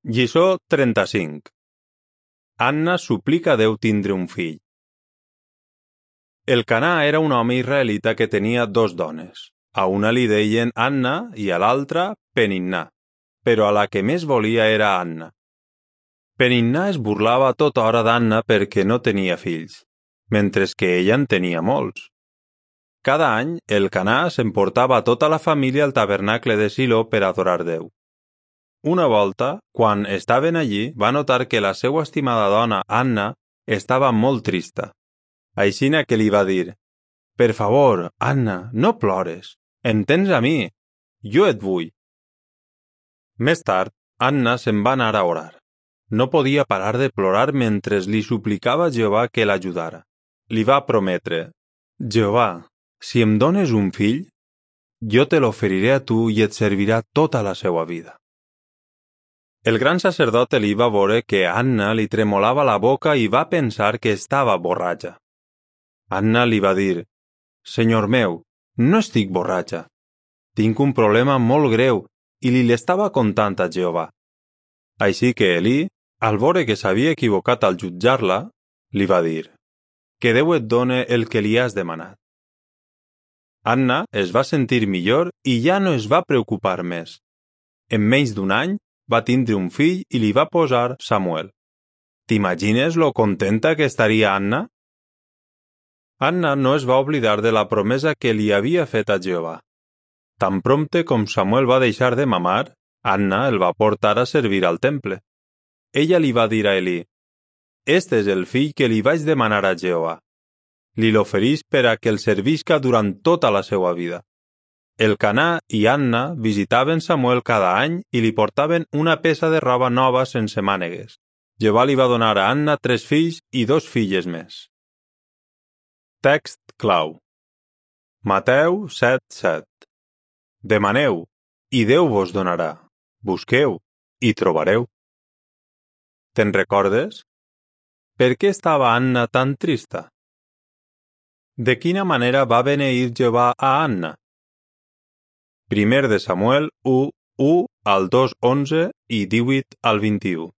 Lliçó 35. Anna suplica a Déu tindre un fill. Elkanà era un home israelita que tenia dos dones. A una li deien Anna i a l'altra Peninnà, però a la que més volia era Anna. Peninnà es burlava tota hora d'Anna perquè no tenia fills, mentre que ella en tenia molts. Cada any, Elkanà s'emportava tota la família al tabernacle de Silo per adorar Déu. Una volta, quan estaven allí, va notar que la seva estimada dona, Anna, estava molt trista. Aixina que li va dir: «Per favor, Anna, no plores. Entens a mi. Jo et vull». Més tard, Anna se'n va anar a orar. No podia parar de plorar mentre li suplicava a Jehovà que l'ajudara. Li va prometre: «Jehovà, si em dones un fill, jo te l'oferiré a tu i et servirà tota la seva vida». El gran sacerdot Elí va veure que Anna li tremolava la boca i va pensar que estava borratxa. Anna li va dir: «Senyor meu, no estic borratxa. Tinc un problema molt greu i li l'estava contant a Jehovà». Així que Elí, al veure que s'havia equivocat al jutjar-la, li va dir: «Que Déu et done el que li has demanat». Anna es va sentir millor i ja no es va preocupar més. En menys d'un any, va tindre un fill i li va posar Samuel. T'imagines lo contenta que estaria Anna? Anna no es va oblidar de la promesa que li havia fet a Jehovà. Tan prompte com Samuel va deixar de mamar, Anna el va portar a servir al temple. Ella li va dir a Elí: «Este és el fill que li vaig demanar a Jehovà. Li l'oferís per a que el servisca durant tota la seva vida». Elkanà i Anna visitaven Samuel cada any i li portaven una peça de roba nova sense mànegues. Jehovà li va donar a Anna 3 fills i 2 filles més. Text clau. Mateu 7:7. Demaneu, i Déu vos donarà. Busqueu, i trobareu. Te'n recordes? Per què estava Anna tan trista? De quina manera va beneir Jehovà a Anna? 1 de Samuel 1:1 al 2:11 i 18 al 21.